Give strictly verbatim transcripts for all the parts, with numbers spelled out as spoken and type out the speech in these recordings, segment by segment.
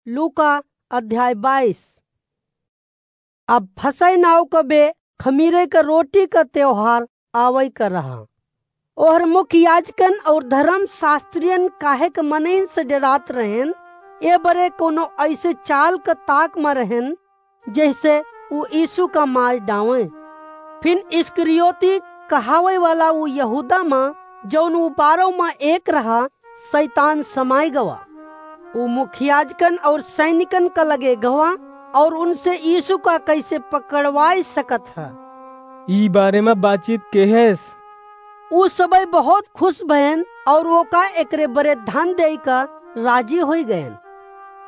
लूका अध्याय बाईस। अब फसह नाव क बे खमीरे क रोटी क त्योहार आवइ क रहा। ओहर मुख्य याजकन और धर्म शास्त्रियन काहे क मनइन से डेरात रहेन, ए बरे कोनो अइसे चाल क ताक म रहेन, जइसे उ यीशु का मार डावें। फिन इस्करियोती कहावइ वाला उ यहूदा म, जउन उ बारह म एक रहा, सैतान समाइ गवा। उ मुखियाजकन और सैनिकन का लगे गवा और उनसे यीशु का कइसे पकड़वाइ सकत ह। ई बारे म बातचीत केहेस। उ सबइ बहुत खुश भयन और ओका एकरे बरे धन देइ का राजी होइ गयन।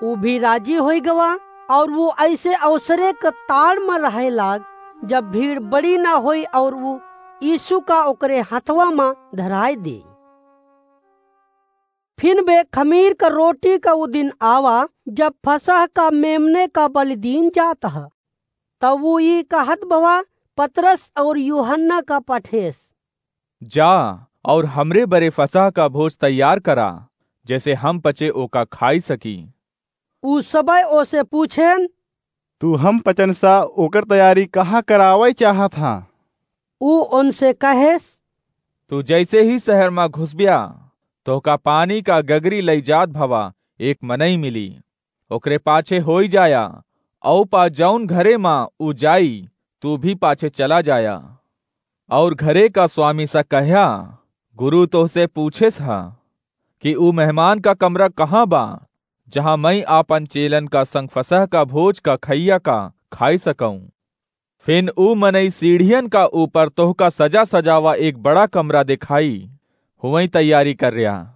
उ भी राजी होइ गवा और उ अइसे अवसरे क ताड़ म रहइ लाग, जब भीड़ बड़ी न होइ और उ यीशु का ओकरे हथवा म धराइ दे। फिन बे खमीर क रोटी क उ दिन आवा, जब फसह का मेमने का बलिदीन जात ह। तब उ ई कहत भवा पतरस और यूहन्ना का पठेस, "जा और हमरे बरे फसह का भोज तैयार करा, जइसे हम पचे ओका खाइ सकी।" उ सबइ ओसे पूछेन, "तू हम पचन सा ओकर तैयारी कहाँ करावइ चाहत हा?" उ ओनसे कहेस, "तू जइसे ही सहर म घुसब्या, तोहका पानी का गगरी लइ जात भवा एक मनई मिली। ओकरे पाछे होइ जाया, अउ पा जउन घरे म उ जाई, तू भी पाछे चला जाया। और घरे का स्वामी स कह्या, गुरु तोहसे पूछेस ह कि उ मेहमान का कमरा कहाँ बा, जहाँ मइँ आपन चेलन का संग फसह का भोज का खइया का खाइ सकउँ।" फिन उ मनई सीढ़ियन का ऊपर तोहका सजा सजावा एक बड़ा कमरा देखाई, हुवइँ तैयारी कर्या।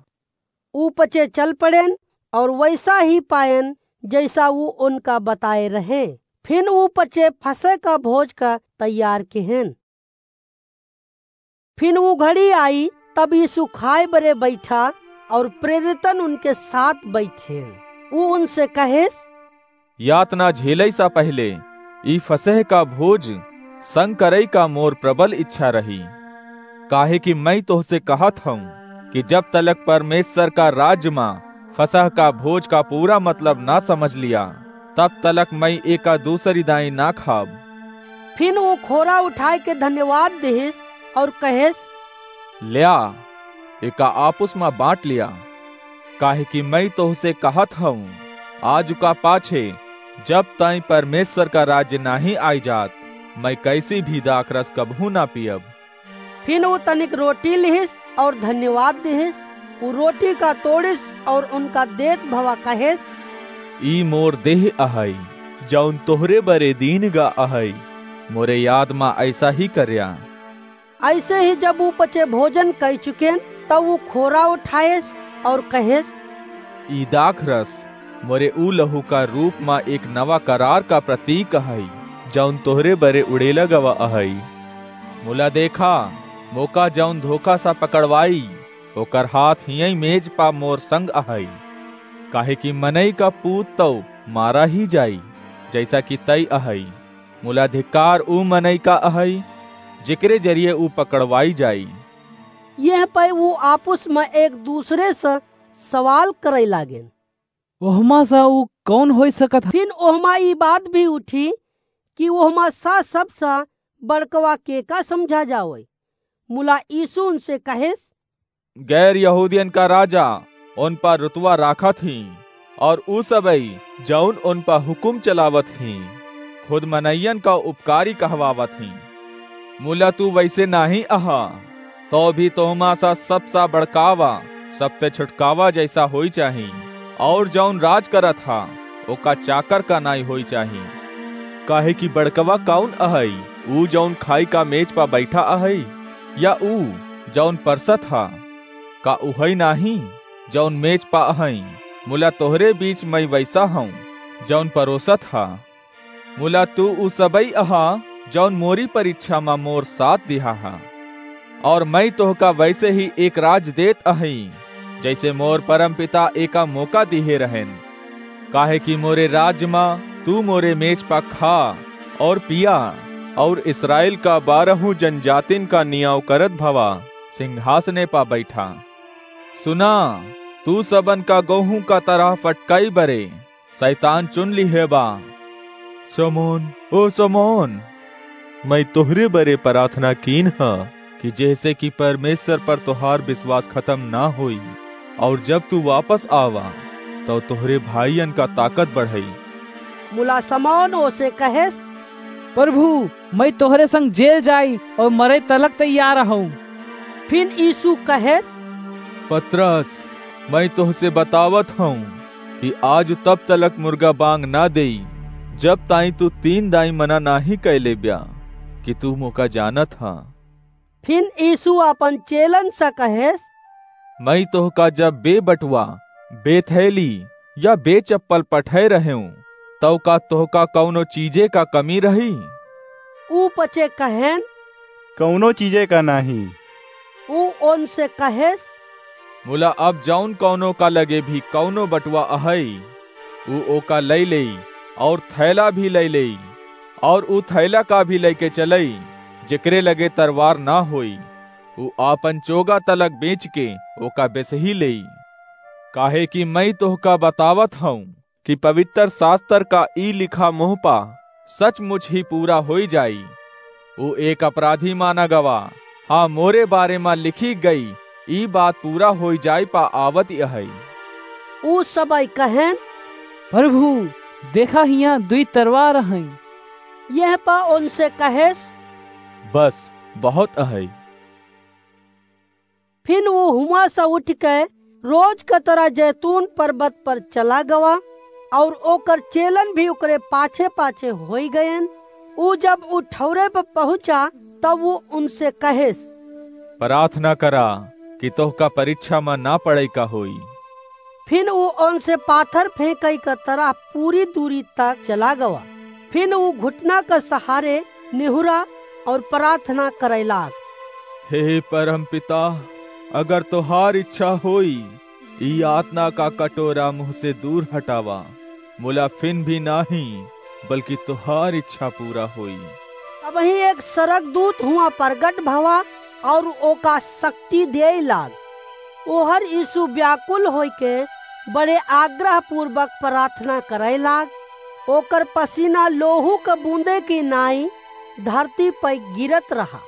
उ पचे चल पड़ेन और वइसा ही पाएन, जइसा उ ओनका बताए रहे। फिन उ पचे फसह का भोज का तैयार किहेन। फिन उ घड़ी आई, तब यीशु खाए बरे बइठा और प्रेरितन उनके साथ बइठेन। उ उनसे कहेस, "यातना झेलइ सा पहिले ई फसह का भोज संग करइ का मोर प्रबल इच्छा रही, काहे कि मइँ तोहसे कहत हउँ कि जब तलक परमेश्वर का राज्य म फसह का भोज का पूरा मतलब ना समझ लिया, तब तलक मइँ एका दूसरी दाईं ना खाब।" फिन उ खोरा उठाए के धन्यवाद दिहिस और कहेस, "ल्या, एका आपुस म बाँट लिया, काहे कि मइँ तोहसे कहत हउँ, आज का पाछे जब ताईं परमेश्वर का राज्य नाहीं आइ जात, मइँ कइसी भी दाखरस कबहूँ ना पियब।" फिन उ तनिक रोटी लिहिस और धन्यवाद दिहिस। उ रोटी का तोड़िस और उनका देत भवा कहेस, "ई मोर देह अहइ, जउन तोहरे बरे दीन गा अहइ, मोरे याद म अइसा ही कर्या।" अइसे ही जब उ पचे भोजन कइ चुकेन, तब उ खोरा उठाएस और कहेस, "ई दाखरस मोरे ऊ लहू का रूप म एक नवा करार का प्रतीक अहइ, जउन तोहरे बरे उड़ेला गवा अहइ। मुला देखा, मोका जउन धोखा सा पकड़वाई, ओकर हाथ हियई मेज पा मोर संग अहइ। काहे कि मनई का पूत तउ मारा ही जाई, जइसा कि तई अहइ। मुला धिक्कार ऊ मनई का अहइ, जेकरे जरिए ऊ पकड़वाई जाई।" यह पै ऊ आपुस म एक दूसरे स सवाल करइ लागेन, "ओहमा स ऊ कउन होइ सकत ह?" फिन ओहमा ई बात भी उठी कि ओहमा स सबस बड़कवा केका समझा जावइ। मुला यीशु उनसे कहेस, "गैर यहूदियन का राजा उन पर रुतवा राखत ही, और ऊ सबई जउन उन पर हुकुम चलावत ही, खुद मनइयन का उपकारी कहवावत ही। मुला तू वइसे नाहीं अहा, तउ भी तोहमा सा सबसा बड़कावा, सबसे छुटकावा जइसा होइ चाही, और जउन राज करत हा, ओका चाकर का नाई होइ चाही। काहे कि बड़कवा कउन अहइ, ऊ जउन खाई का मेज पा बइठा अहइ, या ऊ जउन परसत हा? का उहइ नाहीं, जउन मेज पा अहइ? मुला तोहरे बीच मई वइसा हउँ, जउन परोसत हा। मुला तू ऊ सबई अहा, जउन मोरी परीक्षा म मोर साथ दिहा हा। और मई तोहका वइसे ही एक राज देत अहई, जइसे मोर परमपिता एका मोका दिहे रहेन। काहे कि मोरे राज म तू मोरे मेज पा खा और पिया, और इस्राएल का बारहू जनजातिन का नियाव करत भवा सिंहासने पा बइठा। सुना, तू सबन का गोहूँ का तरह फटकई बरे, सैतान चुन लिहे बा। शमौन, ओ शमौन, मइँ तोहरे बरे पराथना कीन ह कि जेहसे कि परमेस्वर पर तोहार बिसवास खतम न होई, अउर जब तू वापस आवा, तउ तोहरे भाइयन का ताकत बढ़ई। मुला शमौन ओसे कहेस, परभू, मइँ तोहरे संग जेल जाई अउर मरइ तलक तैयार हउँ। फिन यीसू कहेस, पतरस, मइँ तोहसे बतावत हउँ कि आजु तब तलक मुर्गा बाँग न देई, जब ताईं तू तीन दाईं मना नाहीं कइ लेब्या कि तू मोका जानत ह। फिन यीसू आपन चेलन से कहेस, मइँ तोहका जब बेबटुआ, बेथैली या बेचप्पल पठइ रहेंव, तउ का तोहका कउनो चीजे का कमी रही? ऊ पचे कहेन, कउनो चीजे का नाहीं। ऊ ओनसे कहेस, मुला अब जउन कउनो का लगे भी कउनो बटुआ अहइ, ऊ ओका लइ लेई, अउर थैला भी लइ लेई, अउर ऊ थैला का भी लइके चलई, जेकरे लगे तरवार न होई, ऊ आपन चोगा तलक बेंचके ओका बेसही लेई। काहेकि मइँ तोहका बतावत हउँ कि पबितर सास्तर का ई लिखा मोह पा सचमुच ही पूरा होइ जाई, ऊ एक अपराधी माना गवा, हाँ, मोरे बारे मा लिखी गई ई बात पूरा होइ जाए पा आवत अहइ। ऊ सबइ कहेन, परभू, देखा, हियाँ दुई तरवार अहइ। यह पा ओनसे कहेस, बस, बहुत अहइ। फिन ऊ हुआँ से उठके रोज क तरह जैतून परबत पर चला गवा, अउर ओकर चेलन भी ओकरे पाछे-पाछे होइ गएन। ऊ जब ऊ ठउरे प पहुँचा, तब ऊ ओनसे कहेस, पराथना करा कि तोहका परिच्छा मा न पड़इ का होई। फिन ऊ ओनसे पाथर फेंकइ क तरह पूरी दूरी तक चला गवा। फिन ऊ घुटना क सहारे निहुरा अउर पराथना करइ लाग, हे परमपिता, अगर तोहार इच्छा होई, ई यातना का कटोरा मुँह से दूर हटावा, मुला फिन भी नाहीं, बल्कि तोहार इच्छा पूरा होई। अबहीं एक सरगदूत हुआँ परगट भवा अउर ओका सक्ति देइ लाग। ओहर यीसू ब्याकुल होइके बड़े आग्रहपूर्वक पराथना करइ लाग। ओकर पसीना लोहू क बूँदे की नाईं धरती पइ गिरत रहा।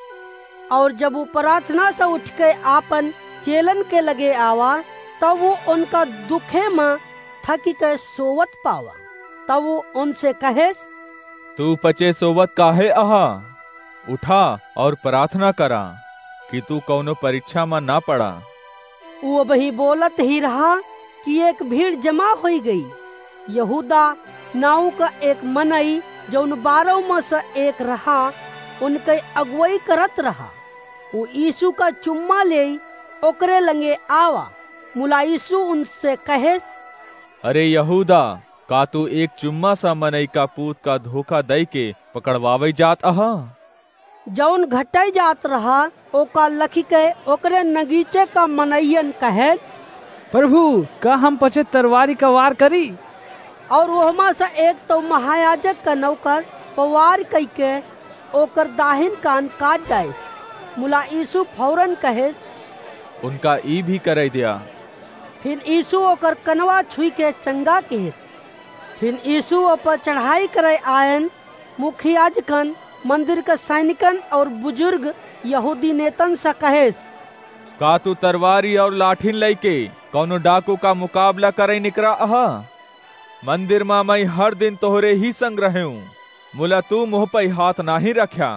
अउर जब ऊ पराथना से उठके आपन चेलन के लगे आवा, तब ऊ ओनका दुखे मा थकिके सोवत पावा। तब ऊ ओनसे कहेस, तू पचे सोवत काहे अहा? उठा अउर पराथना करा कि तू कउनो परिच्छा मा न पड़ा। ऊ अबहीं बोलत ही रहा कि एक भीड़ जमा होइ गई। यहूदा नाउँ क एक मनई, जउन बारउ मा से एक रहा, ओनकइ अगुवई करत रहा। ऊ यीसू क चुम्मा लेई ओकरे लंगे आवा। मुला यीसू ओनसे कहेस, अरे यहूदा, का तू एक चुम्मा सा मनई का पूत का धोखा दइके पकड़वावइ जात अहा? जउन घटइ जात रहा, ओका लखिके ओकरे नगीचे का मनइयन कहेन, परभू, का हम पचे तरवारी क वार करी? अउर ओहमा से एक तउ महायाजक क नउकर प वार कइके ओकर दाहिन कान काट डाइस। मुला यीसू फौरन कहेस, उनका ई भी करइ द्या। फिन यीसू ओकर कनवा छुइके चंगा किहिस। फिन यीसू ओपर चढ़ाई करइ आएन। मुख्य याजकन, मंदिर क सैनिकन अउर बुजुर्ग यहूदी नेतन से कहेस, का तू तरवारी अउर लाठिन लइके कउनो डाकू का मुकाबला करइ निकरा अहा? मंदिर मा मइँ हर दिन तोहरे ही संग रहेंव, मुला तू मोह पइ हाथ नाहीं रख्या।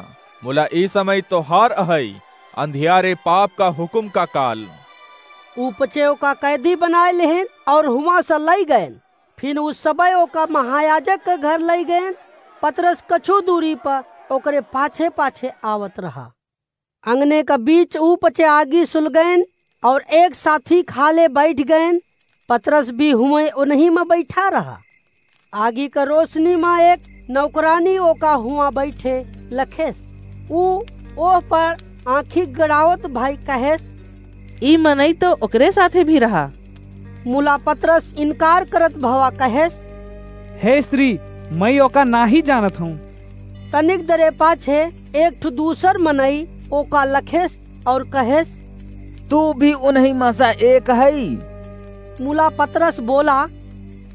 मुला ई समय तोहार अहइ, अंधियारे पाप का हुकुम का काल। ऊ पचे ओका कैदी बनाइ लेहेन अउर हुआँ से लइ गएन। फिन ऊ सबइ ओका महायाजक क घर लइ गएन। पतरस कछू दूरी प ओकरे पाछे-पाछे आवत रहा। अंगने क बीच ऊ पचे आगी सुलगएन अउर एक साथी खाले बइठ गएन। पतरस भी हुएँ ओनही म बइठा रहा। आगी क रोसनी म एक नौकरानी ओका हुआँ बइठे लखेस। ऊ ओह पर आँखी गड़ावत भइ कहेस, ई मनई तउ ओकरे साथे भी रहा। मुला पतरस इनकार करत भवा कहेस, हे स्त्री, मइँ ओका नाहीं जानत हउँ। तनिक दरे पाछे एक ठु दूसर मनई ओका लखेस अउर कहेस, तू भी उनही मा सा एक हई। मुला पतरस बोला,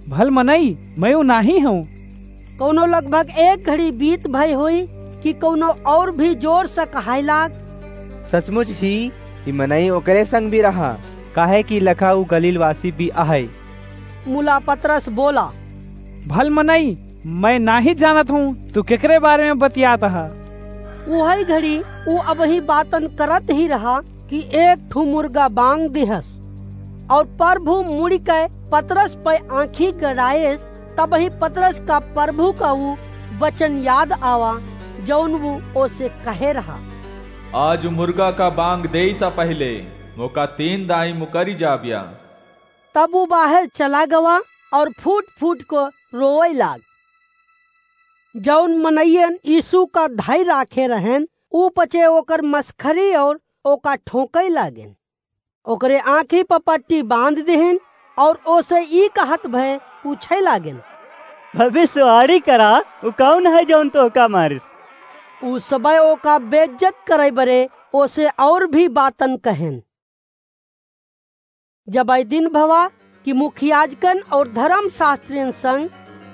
भल मनई, मैं उ नाहीं हूँ। कउनो लगभग एक घड़ी बीत भई होई कि कउनो अउर भी जोर से कहाई लाग, सचमुच ही, ई मनई ओकरे संग भी रहा, काहे कि लखा उ गलीलवासी भी अहइ। मुला पतरस बोला, भल मनई, मैं नाहीं जानत हूँ, तू केकरे बारे में बतियात ह? उहइ घड़ी उ अबहीं बातन करत ही रहा कि एक ठू मुर्गा बांग दिहस, अउर परभू मुड़िके पतरस पइ आँखी गड़ाएस। तबहीं पतरस का परभू का उ बचन याद आवा, जउन उ ओसे कहे रहा। आज मुर्गा का बांग देइ सा पहिले मोका तीन दाईं मुकरि जाब्या। तब उ बाहेर चला गवा अउर फूट फूट को रोवइ लाग। जउन मनइयन यीसू का धइ राखे रहेन, उ पचे ओकर मसखरी अउर ओका ठोंकइ लागेन। ओकरे आँखी प पट्टी बाँध दिहिन अउर ओसे ई कहत भए पूछइ लागेन, भविष्यवाणी करा, उ कउन है जउन तोहका मारिस? उ सबइ ओका बेइज्जत करइ बरे ओसे अउर भी बातन कहेन। जब ई दिन भवा कि मुखियाजकन अउर धरम शास्त्रियन संग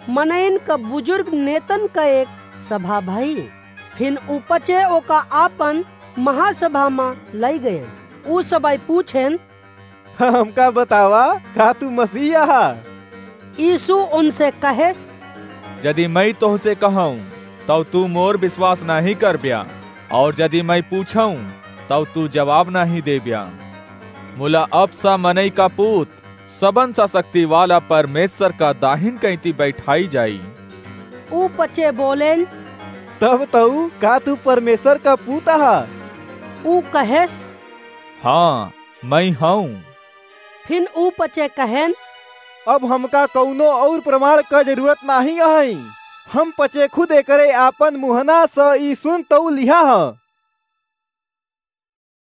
मनइन क बुजुर्ग नेतन क एक सभा भई, फिन उ पचे ओका आपन महासभा म लइ गएन। उ सबइ पूछेन, हमका बतावा, का तू मसीह अहा? यीसू उनसे कहेस, जदि मइँ तोहसे कहउँ, तउ तू मोर बिसवास नाहीं करब्या, अउर जदि मइँ पूछउँ, तउ तू जबाब नाहीं देब्या। मुला अब स मनई का पूत सबन स सक्तिवाला परमेसर का दाहिन कइँती बइठाई जाई। उ पचे बोलेन, तब तउ का तू परमेसर का पूत अहा? उ कहेस, हाँ, मइँ हउँ। फिन उ पचे कहेन, अब हमका कउनो अउर प्रमाण क जरूरत नाहीं अहइ। हम पचे खुद एकरे आपन मुहना स ई सुन तउ लिहा ह।